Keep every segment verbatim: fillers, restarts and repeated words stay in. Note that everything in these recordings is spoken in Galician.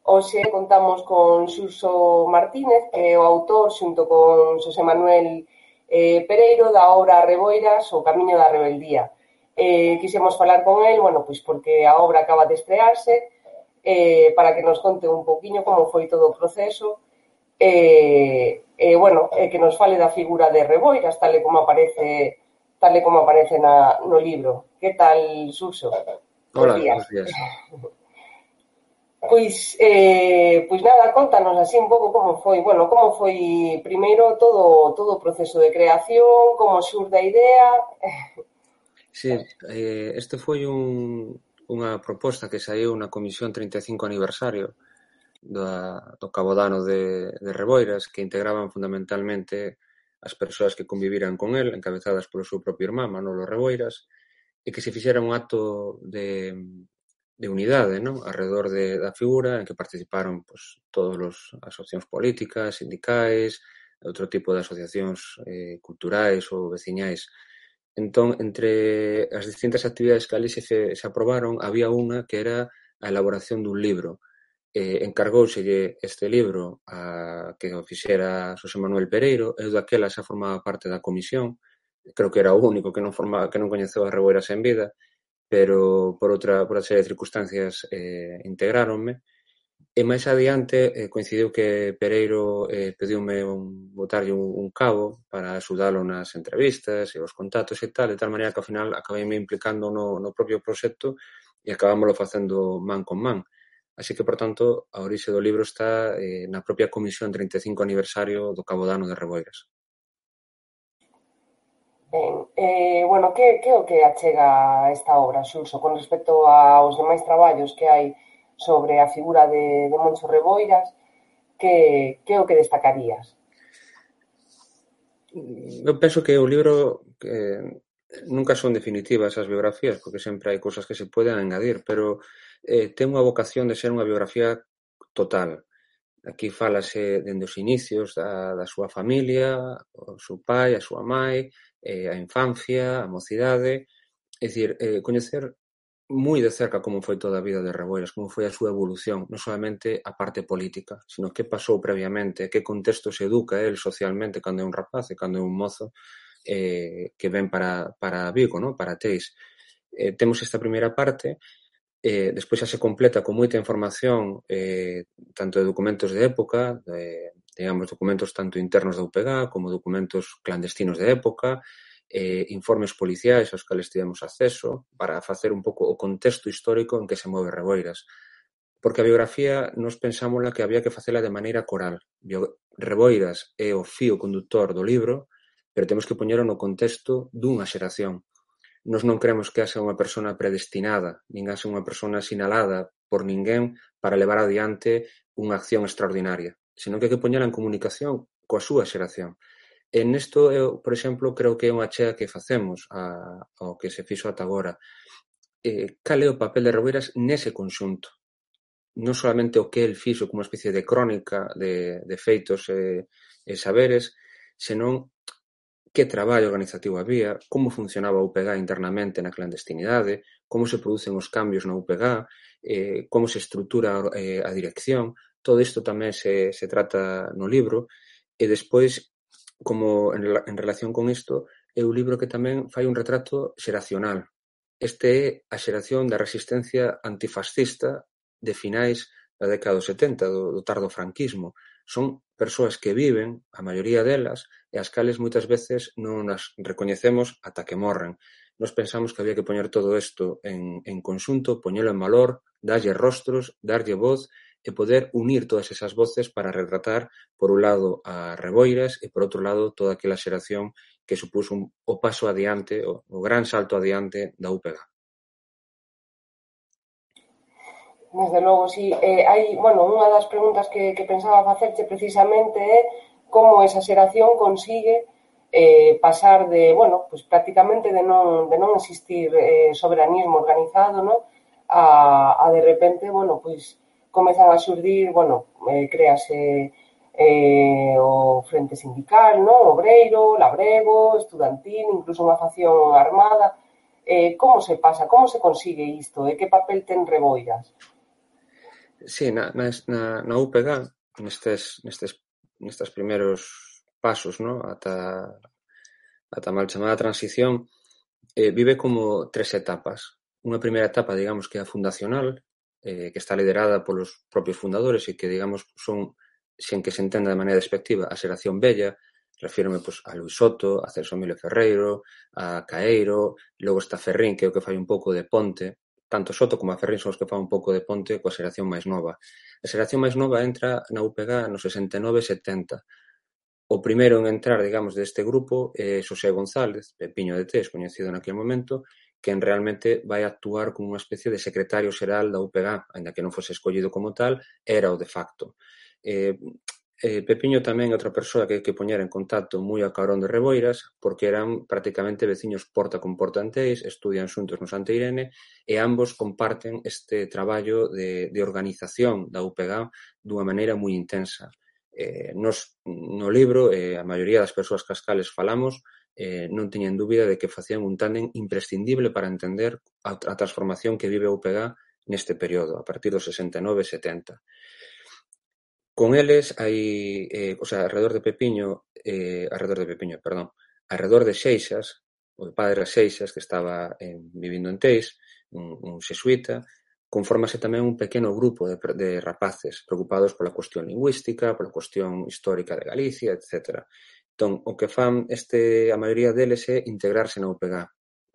Hoxe contamos con Xurxo Martínez, que é o autor, xunto con Xosé Manuel eh, Pereiro, da obra Reboiras, o camiño da rebeldía. Eh, quixemos falar con el, bueno, pois porque a obra acaba de estrearse, eh, para que nos conte un poquinho como foi todo o proceso, e, eh, eh, bueno, eh, que nos fale da figura de Reboiras, tal e como aparece tal e como aparece na, no libro. Que tal, Xurxo? Bos Hola, días. buenos días. Pois, eh, pois nada, contanos así un pouco como foi, bueno, como foi primeiro todo todo o proceso de creación, como xurde a idea. Sí, eh, este foi un, unha proposta que saiu na Comisión trinta e cinco aniversario da, do Cabodano de, de Reboiras, que integraban fundamentalmente as persoas que conviviran con el, encabezadas polo seu propio irmán, Manolo Reboiras, e que se fixera un acto de, de unidade, non? Arredor de, da figura, en que participaron pues, todas as asociacións políticas, sindicais, outro tipo de asociacións eh, culturais ou veciñais. Entón, entre as distintas actividades que ali se, se aprobaron, había unha que era a elaboración dun libro. Eh, encargóuselle este libro a que o fixera Xosé Manuel Pereiro, eu daquela xa formaba parte da comisión, creo que era o único que non formaba, que non coñeceu a Reboiras en vida, pero por outra, por outra serie de circunstancias eh, integráronme. E máis adiante eh, coincidiu que Pereiro eh, pediume un, botarlle un, un cabo para axudalo nas entrevistas e os contactos e tal, de tal maneira que ao final acabei me implicando no, no propio proxecto e acabámoslo facendo man con man. Así que, por tanto, a orixe do libro está eh, na propia Comisión trinta e cinco aniversario do Cabodano de Reboiras. Ben, eh, bueno, que, que é o que achega esta obra, Xurxo, con respecto aos demais traballos que hai sobre a figura de, de Moncho Reboiras, que, que é o que destacarías? Eu penso que o libro que nunca son definitivas as biografías, porque sempre hai cousas que se poden engadir, pero eh, ten unha vocación de ser unha biografía total. Aquí fálase dende os inicios da, da súa familia, o seu pai, a súa mai, eh, a infancia, a mocidade, é dicir, eh, coñecer moi de cerca como foi toda a vida de Reboiras, como foi a súa evolución, non solamente a parte política, sino que pasou previamente, que contexto se educa el socialmente cando é un rapaz e cando é un mozo eh, que ven para, para Vigo, ¿no? Para Teis. Eh, temos esta primeira parte, eh, despois xa se completa con moita información eh, tanto de documentos de época, de, digamos, documentos tanto internos da U P G como documentos clandestinos de época, eh, informes policiais aos cales tivemos acceso para facer un pouco o contexto histórico en que se move Reboiras. Porque a biografía nos pensámosla que había que facela de maneira coral. Bio... Reboiras é o fío conductor do libro, pero temos que poñelo no contexto dunha xeración. Nos non creemos que haxa unha persona predestinada, nin haxa unha persona sinalada por ninguén para levar adiante unha acción extraordinaria, senón que hai que poñela en comunicación coa súa xeración. E nesto, eu, por exemplo, creo que é unha chea que facemos a, ao que se fixo ata agora. Eh, cal é o papel de Reboiras nese conxunto? Non solamente o que el fixo como unha especie de crónica de, de feitos e, e saberes, senón que traballo organizativo había, como funcionaba a U P G internamente na clandestinidade, como se producen os cambios na U P G, eh, como se estrutura eh, a dirección, todo isto tamén se, se trata no libro, e despois, como en, en relación con isto, é un libro que tamén fai un retrato xeracional. Este é a xeración da resistencia antifascista de finais da década dos setenta, do, do tardo franquismo. Son persoas que viven, a maioría delas, e as cales moitas veces non as recoñecemos ata que morren. Nos pensamos que había que poñer todo isto en, en conxunto, poñelo en valor, darlle rostros, darlle voz e poder unir todas esas voces para retratar, por un lado, a Reboiras e, por outro lado, toda aquela xeración que supuso un, o paso adiante, o, o gran salto adiante da U P G. Desde logo, sí. Eh, hai, bueno, unha das preguntas que, que pensaba facerche precisamente é como esa xeración consigue eh, pasar de, bueno, pues prácticamente de non, de non existir eh, soberanismo organizado, ¿no? A, a de repente, bueno, pues comezan a xurdir, bueno, eh, créase eh, o Frente Sindical, ¿no? Obreiro, labrego, estudantil, incluso unha facción armada. Eh, como se pasa, como se consigue isto? E que papel ten Reboiras? Sí, na, na, na U P G, nestes, nestes, nestes primeiros pasos, ¿no? ata, ata mal chamada transición, eh, vive como tres etapas. Unha primeira etapa, digamos, que é a fundacional, eh, que está liderada polos propios fundadores e que, digamos, son, sen que se entenda de maneira despectiva, a xeración bella. Refírome pues, a Luis Soto, a Celso Emilio Ferreiro, a Caeiro, logo está Ferrín, que é o que fai un pouco de ponte. Tanto Soto como a Ferrín son os que fan un pouco de ponte coa xeración máis nova. A xeración máis nova entra na U P G no sesenta e nove setenta. O primeiro en entrar, digamos, deste grupo é Xosé González, Pepiño de Tés, coñecido naquele momento, quen realmente vai actuar como unha especie de secretario xeral da U P G, ainda que non fose escollido como tal, era o de facto. Eh, eh, Pepiño tamén é outra persoa que hai que poñer en contacto moi a carón de Reboiras, porque eran prácticamente veciños porta con porta en Teis, estudian xuntos no Santa Irene, e ambos comparten este traballo de, de organización da U P G dunha maneira moi intensa. Eh, nos, no libro, eh, a maioría das persoas cascales falamos, eh, non teñen dúbida de que facían un tándem imprescindible para entender a, a transformación que vive a U P G neste período, a partir dos sesenta e nove setenta. Con eles hai, eh, o sea, alrededor de Pepiño, eh, alrededor de Pepiño, perdón, alrededor de Seixas, o padre Seixas, que estaba en, vivindo en Teis, un, un xesuita, confórmase tamén un pequeno grupo de, de rapaces preocupados pola cuestión lingüística, pola cuestión histórica de Galicia, etcétera. Entón, o que fan este, a maioría deles é integrarse na U P G.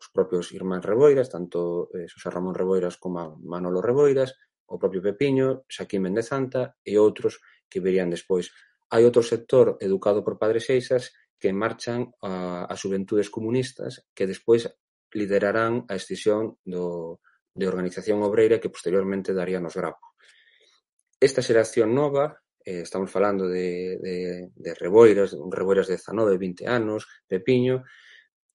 Os propios irmáns Reboiras, tanto eh, Xosé Ramón Reboiras como Manolo Reboiras, o propio Pepiño, Xaquín Méndez Santa e outros que verían despois. Hai outro sector educado por Padre Seixas que marchan a, a xuventudes comunistas que despois liderarán a escisión do, de organización obreira que posteriormente daría nos Grapo. Esta xeración nova, eh, estamos falando de, de, de Reboiras, un Reboiras de dezanove, vinte anos, Pepiño,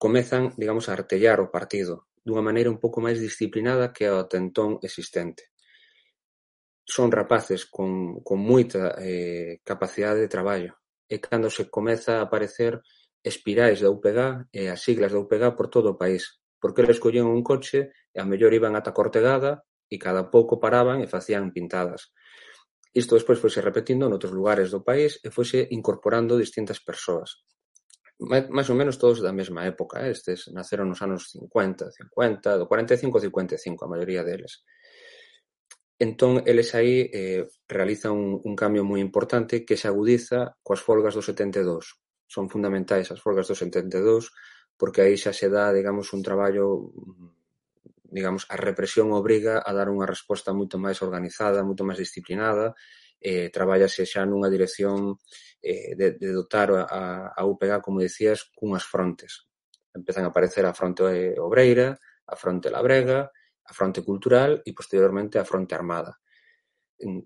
comezan, digamos, a artellar o partido dunha maneira un pouco máis disciplinada que a tentón existente. Son rapaces con, con moita eh, capacidade de traballo. E cando se comeza a aparecer espirais da U P G e as siglas da U P G por todo o país. Porque eles collían un coche e a mellor iban ata Cortegada e cada pouco paraban e facían pintadas. Isto despois foise repetindo noutros lugares do país e foise incorporando distintas persoas. Mais ou menos todos da mesma época. Eh? Estes naceron nos anos cincuenta, cincuenta, do cuarenta e cinco ao cincuenta e cinco, a maioría deles. Entón, eles aí eh, realizan un, un cambio moi importante que se agudiza coas folgas do setenta e dous. Son fundamentais as folgas do setenta e dous porque aí xa se dá, digamos, un traballo, digamos, a represión obriga a dar unha resposta moito máis organizada, moito máis disciplinada, eh, traballase xa nunha dirección eh, de, de dotar a, a U P G, como decías, cunhas frontes. Empezan a aparecer a fronte obreira, a fronte labrega, a fronte cultural e, posteriormente, a fronte armada.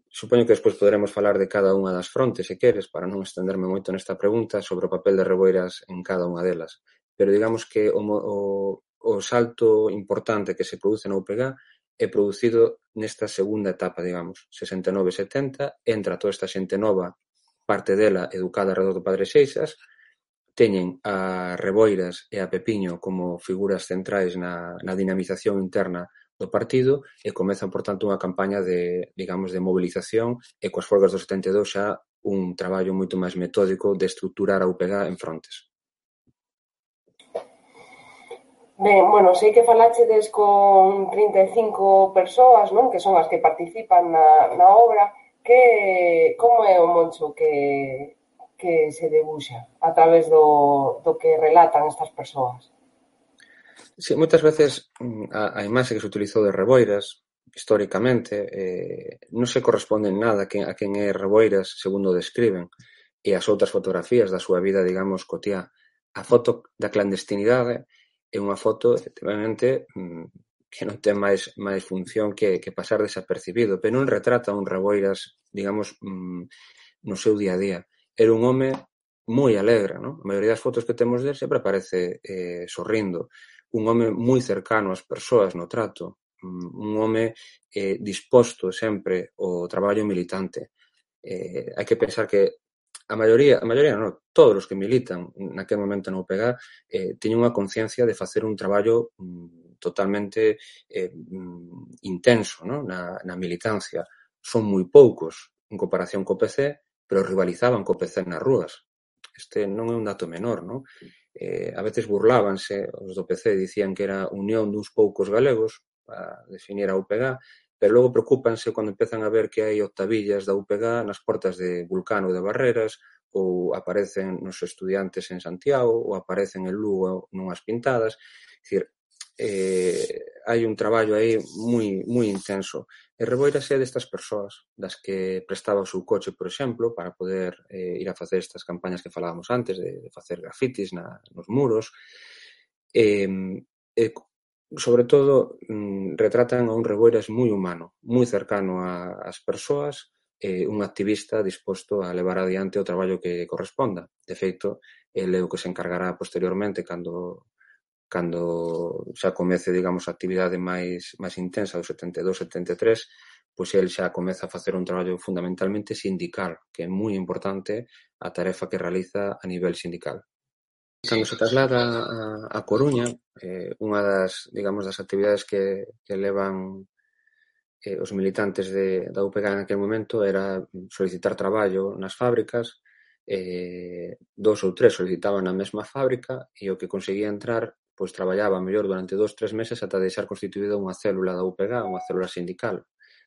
Supoño que despois poderemos falar de cada unha das frontes, se queres, para non estenderme moito nesta pregunta sobre o papel de Reboiras en cada unha delas. Pero digamos que o, o, o salto importante que se produce na U P G é producido nesta segunda etapa, digamos, sesenta e nove setenta, entra toda esta xente nova, parte dela educada alrededor do Padre Seixas, teñen a Reboiras e a Pepiño como figuras centrais na, na dinamización interna do partido e comezan, por tanto, unha campaña de, digamos, de movilización e coas folgas do setenta e dous xa un traballo moito máis metódico de estruturar a U P G en frontes. Ben, bueno, sei que falachedes con trinta e cinco persoas, non? Que son as que participan na, na obra. Que, como é o moncho que, que se debuxa a través do, do que relatan estas persoas? Sí, moitas veces a, a imaxe que se utilizou de Reboiras, históricamente, eh, non se corresponde en nada a quen, a quen é Reboiras, segundo describen, e as outras fotografías da súa vida, digamos, cotiá. A foto da clandestinidade é unha foto, efectivamente, que non ten máis, máis función que, que pasar desapercibido, pero non retrata un Reboiras, digamos, no seu día a día. Era un home moi alegre, non? A maioría das fotos que temos del sempre aparece eh, sorrindo. Un home moi cercano ás persoas no trato, un home eh, disposto sempre ao traballo militante. Eh, hai que pensar que a maioría, a maioría non, todos os que militan naquele momento na U P G eh, teñen unha conciencia de facer un traballo mm, totalmente eh, intenso, non? Na, na militancia. son moi poucos en comparación co P C, pero rivalizaban co P C nas rúas. Este non é un dato menor, non? Eh, a veces burlábanse os do P C, dicían que era unión duns poucos galegos para definir a U P G, pero logo preocúpanse cando empezan a ver que hai octavillas da U P G nas portas de Vulcano de Barreras, ou aparecen nos estudiantes en Santiago, ou aparecen en Lugo nunhas pintadas. É dicir, eh, hai un traballo aí moi, moi intenso. E Reboiras é destas persoas, das que prestaba o seu coche, por exemplo, para poder eh, ir a facer estas campañas que falábamos antes, de, de facer grafitis na, nos muros. E, e sobre todo, mm, retratan a un Reboiras moi humano, moi cercano a, ás persoas, e un activista disposto a levar adiante o traballo que corresponda. De feito, ele é o que se encargará posteriormente cando cando xa comece, digamos, a actividade máis máis intensa do setenta e dous setenta e tres, pois el xa comeza a facer un traballo fundamentalmente sindical, que é moi importante a tarefa que realiza a nivel sindical. Cando se traslada a, a Coruña, eh, unha das, digamos, das actividades que, que levan eh, os militantes de, da U P G en aquel momento era solicitar traballo nas fábricas, eh, dos ou tres solicitaban na mesma fábrica e o que conseguía entrar pois traballaba mellor durante dos, tres meses ata deixar constituída unha célula da U P G, unha célula sindical.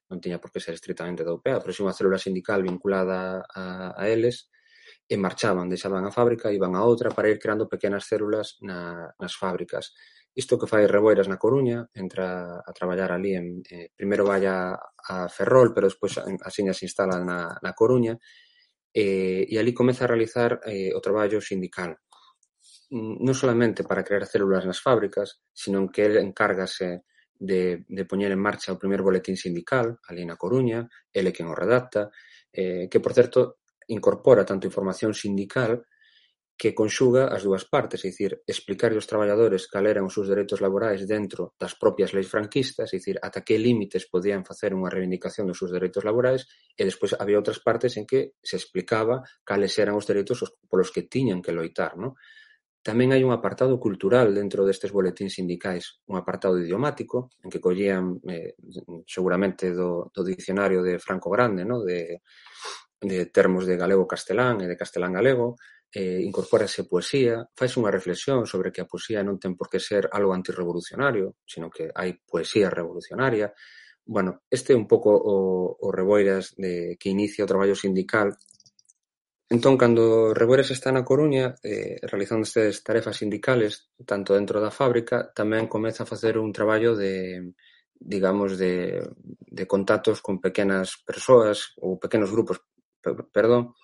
Non tiña por que ser estritamente da U P G, pero si unha célula sindical vinculada a, a eles, e marchaban, deixaban a fábrica, iban a outra para ir creando pequenas células na, nas fábricas. Isto que fai Reboiras na Coruña, entra a traballar ali, en, eh, primeiro vai a, a Ferrol, pero despois asiña se instala na, na Coruña, eh, e ali comeza a realizar eh, o traballo sindical. Non solamente para crear células nas fábricas, sino que ele encárgase de, de poñer en marcha o primer boletín sindical, ali na Coruña, ele quen o redacta, eh, que, por certo, incorpora tanto información sindical que conxuga as dúas partes, é dicir, explicar aos traballadores cal eran os seus dereitos laborais dentro das propias leis franquistas, é dicir, ata que límites podían facer unha reivindicación dos seus dereitos laborais, e despois había outras partes en que se explicaba cales eran os dereitos polos que tiñan que loitar, non? Tamén hai un apartado cultural dentro destes boletíns sindicais, un apartado idiomático, en que collían eh, seguramente do, do dicionario de Franco Grande, no? de, de termos de galego-castelán e de castelán-galego, eh, incorpórase poesía, faise unha reflexión sobre que a poesía non ten por que ser algo antirrevolucionario, sino que hai poesía revolucionaria. Bueno, este é un pouco o, o Reboiras de, que inicia o traballo sindical. Entón, cando Reboiras está na Coruña, eh, realizando estas tarefas sindicales, tanto dentro da fábrica, tamén comeza a facer un traballo de, digamos, de, de contactos con pequenas persoas ou pequenos grupos, perdón,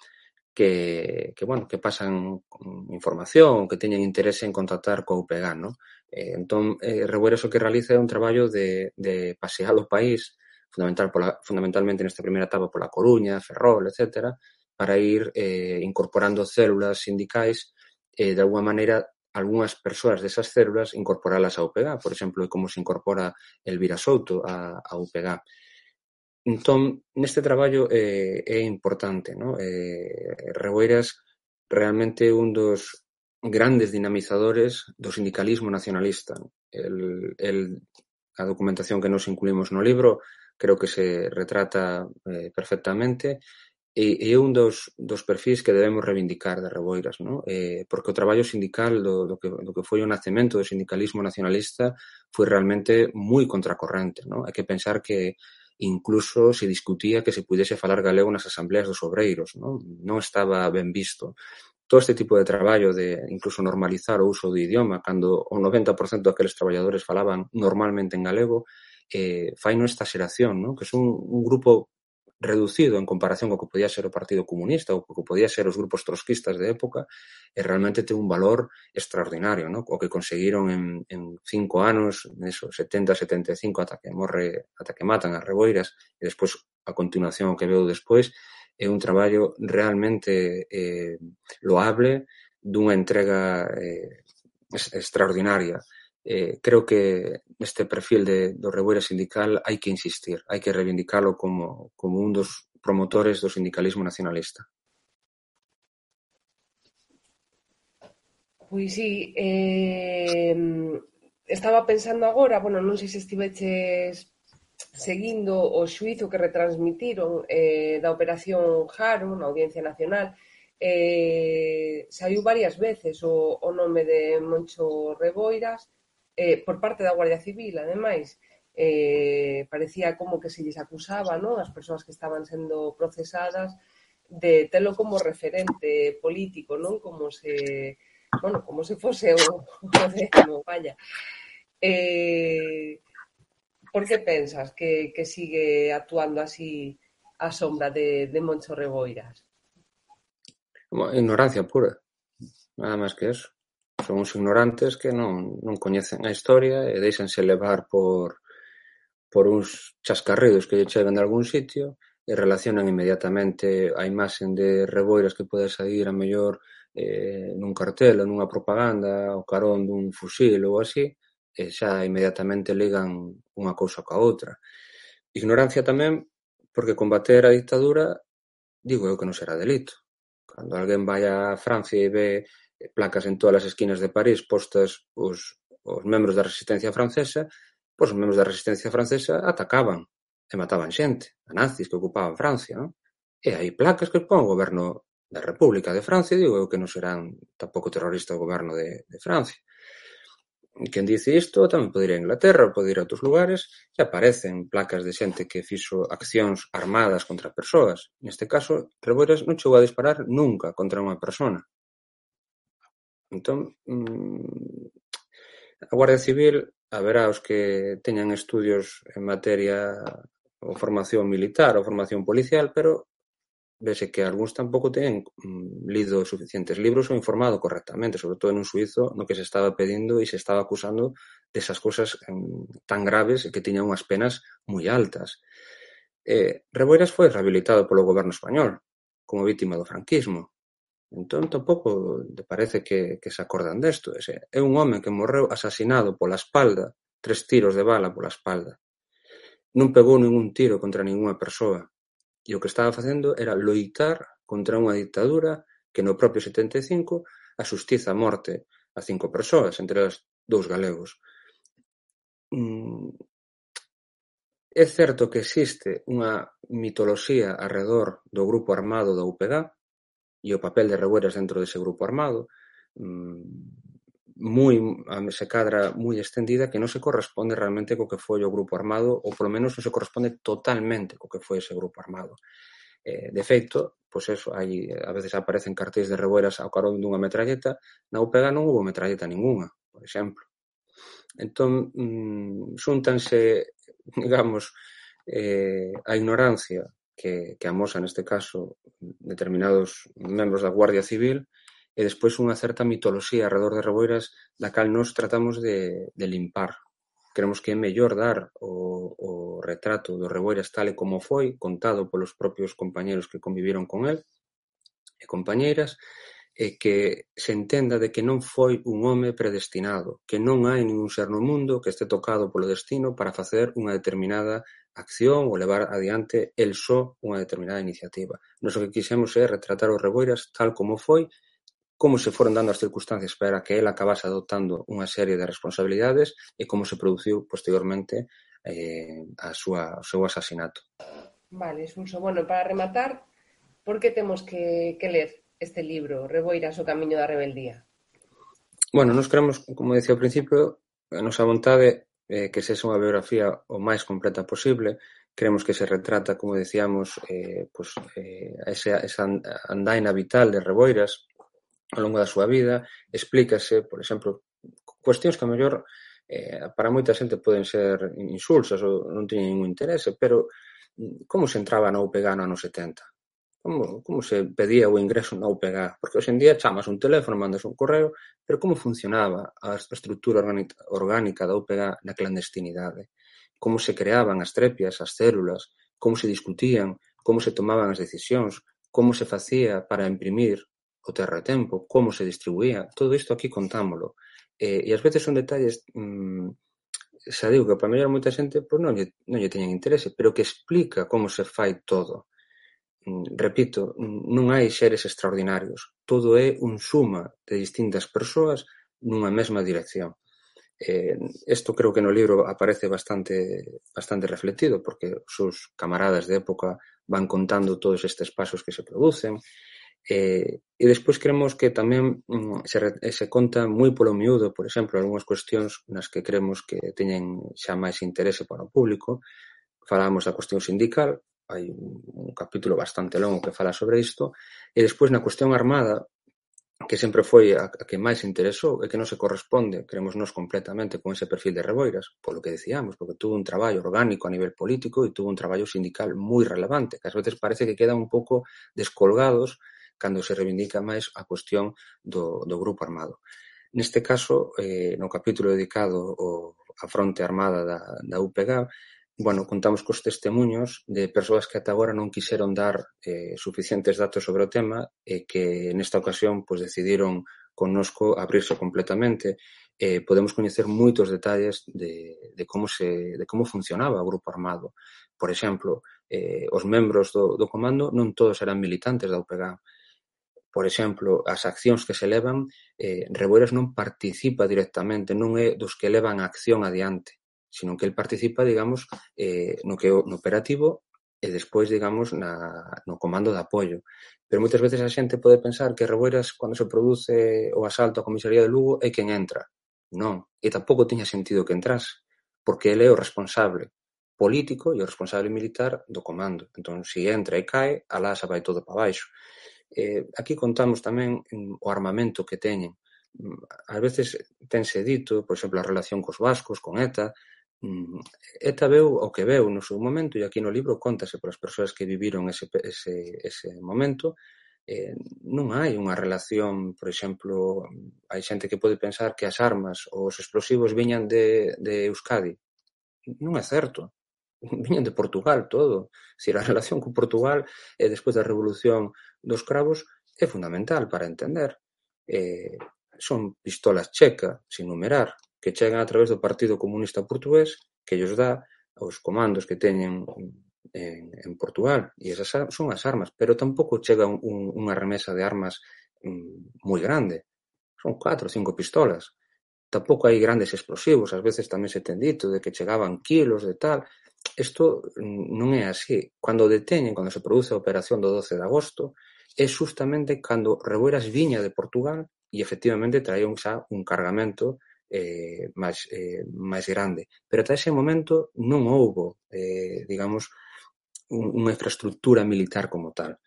que, que, bueno, que pasan información, que teñen interese en contactar co U P G, ¿no? Eh, entón, eh, Reboiras o que realiza é un traballo de, de pasear o país, fundamental pola, fundamentalmente nesta primeira etapa pola Coruña, Ferrol, etcétera, para ir eh, incorporando células sindicais e, eh, de alguma maneira, algunhas persoas desas células incorporalas á U P G, por exemplo, como se incorpora Elvira Souto a, a U P G. Entón, neste traballo eh, é importante, ¿no? Eh, Reboiras realmente un dos grandes dinamizadores do sindicalismo nacionalista. El, el, a documentación que nos incluímos no libro creo que se retrata eh, perfectamente e, e é un dos, dos perfis que debemos reivindicar de Reboiras, ¿no? Eh, porque o traballo sindical do, do, que, do que foi o nacemento do sindicalismo nacionalista foi realmente moi contracorrente, ¿no? Hai que pensar que incluso se discutía que se pudese falar galego nas asambleas dos obreiros, non? Non estaba ben visto. Todo este tipo de traballo de incluso normalizar o uso do idioma, cando o noventa por cento daqueles traballadores falaban normalmente en galego, eh, fai esta xeración, non? Que son un grupo reducido en comparación co que podía ser o Partido Comunista ou co que podía ser os grupos trotskistas de época, e realmente ten un valor extraordinario, ¿no? O que conseguiron en, en cinco anos, neso, setenta, setenta e cinco, ata que morre, ata que matan a Reboiras, e despois, a continuación, o que veo despois, é un traballo realmente eh, loable, dunha entrega eh, extraordinaria. Eh, creo que neste perfil de, do Reboiras sindical hai que insistir, hai que reivindicalo como, como un dos promotores do sindicalismo nacionalista. Pois sí, eh, estaba pensando agora, bueno, non sei se estiveches seguindo o xuízo que retransmitiron eh, da Operación Jaro na Audiencia Nacional, eh, saiu varias veces o, o nome de Moncho Reboiras eh, por parte da Guardia Civil, ademais. Eh, parecía como que se lles acusaba, non, as persoas que estaban sendo procesadas de telo como referente político, non, como se, bueno, como se fose o, o décimo, vaya. Eh, Por que pensas que, que sigue actuando así a sombra de, de Moncho Reboiras? Ignorancia pura, nada máis que eso. Son uns ignorantes que non, non coñecen a historia e deixanse levar por, por uns chascarridos que lle chegan de algún sitio e relacionan inmediatamente a imaxen de Reboiras que pode sair a mellor eh, nun cartel ou nunha propaganda o carón dun fusil ou así, e xa inmediatamente ligan unha cousa coa outra. Ignorancia tamén porque combater a dictadura digo eu que non será delito. Cando alguén vai a Francia e ve placas en todas as esquinas de París postas os, os membros da resistencia francesa, pois os membros da resistencia francesa atacaban e mataban xente, a nazis que ocupaban Francia, non? E hai placas que pon o goberno da República de Francia, digo eu que non serán tampouco terrorista o goberno de, de Francia. Quen dice isto tamén pode ir a Inglaterra ou pode ir a outros lugares e aparecen placas de xente que fixo accións armadas contra persoas. Neste caso, Reboiras non chegou a disparar nunca contra unha persona. Entón, mmm, a Guardia Civil haberá os que teñan estudios en materia ou formación militar ou formación policial, pero vese que algúns tampouco teñen mm, lido suficientes libros ou informado correctamente, sobre todo nun suízo no que se estaba pedindo e se estaba acusando desas cousas mm, tan graves e que tiñan unhas penas moi altas. Eh, Reboiras foi rehabilitado polo goberno español como vítima do franquismo. Entón, tampouco te parece que, que se acordan desto. Ese, é un home que morreu asasinado pola espalda, tres tiros de bala pola espalda. Non pegou ningún tiro contra ninguna persoa. E o que estaba facendo era loitar contra unha dictadura que no propio setenta e cinco a xustiza a morte a cinco persoas, entre as dous galegos. Mm, é certo que existe unha mitoloxía arredor do grupo armado da U P G e o papel de Reboiras dentro dese grupo armado mm, moi, se cadra moi extendida que non se corresponde realmente co que foi o grupo armado ou polo menos non se corresponde totalmente co que foi ese grupo armado. Eh, de feito, pois eso, hai, a veces aparecen cartéis de Reboiras ao carón dunha metralleta, na U P G non hubo metralleta ninguna, por exemplo. Entón, mmm, xúntanse, digamos, eh, a ignorancia que, que amosa neste caso determinados membros da Guardia Civil e despois unha certa mitoloxía alrededor de Reboiras da cal nos tratamos de, de limpar. Creemos que é mellor dar o, o retrato do Reboiras tal e como foi, contado polos propios compañeros que conviviron con el e compañeiras, e que se entenda de que non foi un home predestinado, que non hai ningún ser no mundo que este tocado polo destino para facer unha determinada acción ou levar adiante el só unha determinada iniciativa. Nos o que quixemos é retratar o Reboiras tal como foi, como se foron dando as circunstancias para que ele acabase adoptando unha serie de responsabilidades e como se produciu posteriormente eh, a súa, o seu asasinato. Vale, Suso. Bueno, para rematar, por que temos que, que ler este libro, Reboiras, o camiño da rebeldía? Bueno, nos queremos, como decía ao principio, a nosa vontade é eh, que sexa unha biografía o máis completa posible. Queremos que se retrata, como decíamos, eh, pues, eh, esa, esa andaina vital de Reboiras ao longo da súa vida. Explícase, por exemplo, cuestións que a mellor eh, para moita xente poden ser insulsas ou non teñen ningún interese, pero como se entraba na U P G no ano setenta? Como, como se pedía o ingreso na U P G? Porque hoxe en día chamas un teléfono, mandas un correo, pero como funcionaba a estrutura orgánica da U P G na clandestinidade? Como se creaban as trepias, as células, como se discutían, como se tomaban as decisións, como se facía para imprimir o terratempo, como se distribuía, todo isto aquí contámolo. Eh, e ás veces son detalles, mmm, xa digo que para mellor moita xente pois non lle, non lle teñen interese, pero que explica como se fai todo. Repito, non hai seres extraordinarios, todo é un suma de distintas persoas nunha mesma dirección. Eh, esto creo que no libro aparece bastante, bastante reflectido, porque os seus camaradas de época van contando todos estes pasos que se producen. Eh, e despois creemos que tamén mm, se, se conta moi polo miúdo, por exemplo, algunhas cuestións nas que creemos que teñen xa máis interese para o público. Falamos da cuestión sindical, hai un, un capítulo bastante longo que fala sobre isto, e despois na cuestión armada, que sempre foi a, a que máis interesou e que non se corresponde, creemos nós completamente con ese perfil de Reboiras, polo que decíamos, porque tuvo un traballo orgánico a nivel político e tuvo un traballo sindical moi relevante, que ás veces parece que quedan un pouco descolgados cando se reivindica máis a cuestión do, do grupo armado. Neste caso, eh, no capítulo dedicado ao, á fronte armada da, da U P G, bueno, contamos cos testemunhos de persoas que ata agora non quixeron dar eh, suficientes datos sobre o tema e que nesta ocasión pues, decidiron connosco abrirse completamente. Eh, podemos coñecer moitos detalles de, de, como se, de como funcionaba o grupo armado. Por exemplo, eh, os membros do, do comando non todos eran militantes da U P G. Por exemplo, as accións que se levan, eh, Reboiras non participa directamente, non é dos que levan a acción adiante, sino que el participa, digamos, eh, no que no operativo e despois, digamos, na, no comando de apoio. Pero moitas veces a xente pode pensar que Reboiras, cando se produce o asalto á comisaría de Lugo, é quen entra. Non, e tampouco tiña sentido que entrase, porque ele é o responsable político e o responsable militar do comando. Entón, se entra e cae, alá xa vai todo para baixo. Eh, aquí contamos tamén o armamento que teñen. Ás veces tense dito, por exemplo, a relación cos vascos, con ETA. ETA veu o que veu no seu momento, e aquí no libro contase por as persoas que viviron ese, ese, ese momento. Eh, non hai unha relación, por exemplo, hai xente que pode pensar que as armas ou os explosivos viñan de, de Euskadi. Non é certo. Viñan de Portugal todo. Se a relación con Portugal e despois da Revolución dos Cravos é fundamental para entender. Eh, son pistolas checa, sin numerar, que chegan a través do Partido Comunista Portugués, que ellos dá aos comandos que teñen en, en Portugal, e esas son as armas, pero tampouco chega un, un, unha remesa de armas mm, moi grande. Son catro ou cinco pistolas. Tampouco hai grandes explosivos, ás veces tamén se ten dito de que chegaban kilos de tal. Isto non é así. Cando deteñen, cando se produce a operación do doce de agosto, é justamente cando Reboiras viña de Portugal e efectivamente traía xa un cargamento eh, máis, eh, máis grande. Pero ata ese momento non houbo, eh, digamos, un, unha infraestructura militar como tal.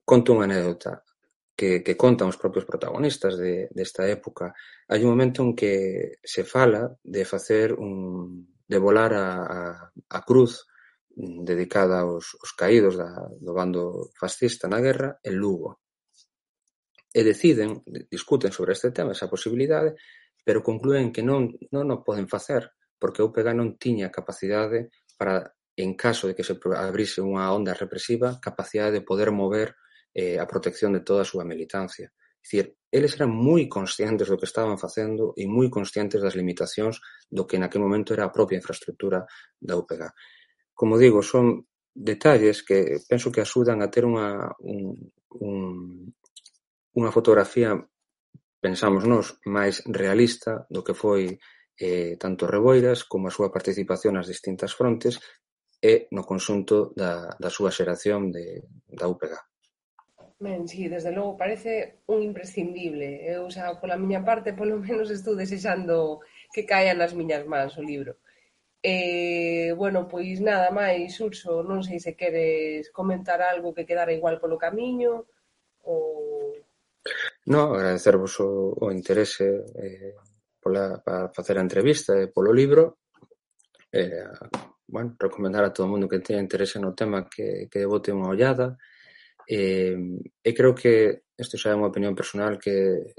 Conto unha anécdota que, que contan os propios protagonistas de, desta época. Hai un momento en que se fala de facer un de volar a, a, a cruz dedicada aos, aos caídos da, do bando fascista na guerra en Lugo. E deciden, discuten sobre este tema, esa posibilidade, pero conclúen que non, non o poden facer, porque a U P G non tiña capacidade para, en caso de que se abrise unha onda represiva, capacidade de poder mover eh, a protección de toda a súa militancia. É dicir, eles eran moi conscientes do que estaban facendo e moi conscientes das limitacións do que naquele momento era a propia infraestructura da U P G. Como digo, son detalles que penso que axudan a ter unha, un, un, unha fotografía, pensamos nós, máis realista do que foi eh, tanto Reboiras como a súa participación nas distintas frontes e no conxunto da, da súa xeración de, da U P G. Ben, sí, desde logo parece un imprescindible. Eu xa, pola miña parte, polo menos estou desexando que caia nas miñas mans o libro. E, bueno, pois nada máis, Urso, non sei se queres comentar algo que quedara igual polo camiño ou... No, agradecervos o, o interese eh, pola, para facer a entrevista e polo libro. Eh, bueno, recomendar a todo o mundo que teña interese no tema que, que bote unha ollada. E, e creo que isto xa é unha opinión personal que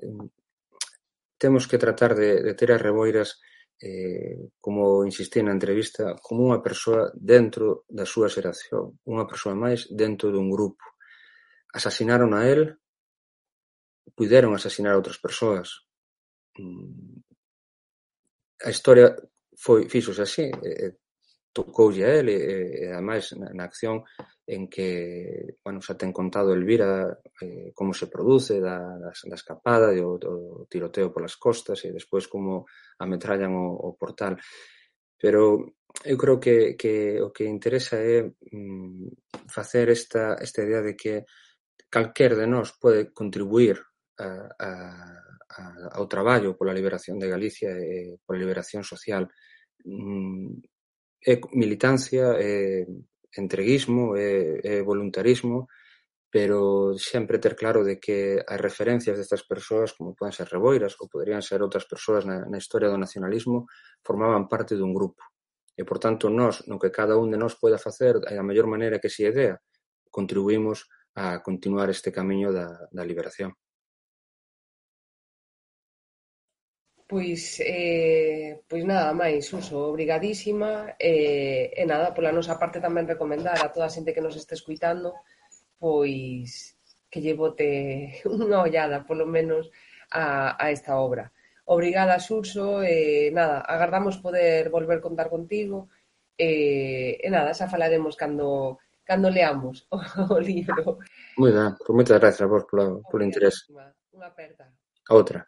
temos que tratar de, de ter as Reboiras eh, como insistí na entrevista, como unha persoa dentro da súa xeración, unha persoa máis dentro dun grupo. Asasinaron a él, puderon asasinar a outras persoas. A historia foi fixose así, eh, tocoulle a él e, e ademais na, na acción en que, bueno, xa ten contado Elvira eh, como se produce da, da, da escapada, do, do tiroteo polas costas e despois como ametrallan o, o portal. Pero eu creo que, que o que interesa é mm, facer esta, esta idea de que calquer de nós pode contribuir a, a, a, ao traballo pola liberación de Galicia e pola liberación social. Mm, é militancia, é entreguismo, é, é voluntarismo, pero sempre ter claro de que as referencias destas persoas, como poden ser Reboiras ou poderían ser outras persoas na, na historia do nacionalismo, formaban parte dun grupo. E, por tanto, nós, no que cada un de nós poida facer, a mellor maneira que se idea, contribuímos a continuar este camiño da, da liberación. Pois, eh, pois nada máis, Suso, obrigadísima e, e nada, pola nosa parte tamén recomendar a toda a xente que nos este escuitando pois que lle bote unha ollada polo menos a, a esta obra. Obrigada, Suso, e nada, agardamos poder volver contar contigo e, e nada, xa falaremos cando, cando leamos o, o libro. Moi ben, pois moitas gracias a vos polo, polo interés. Unha aperta. A outra.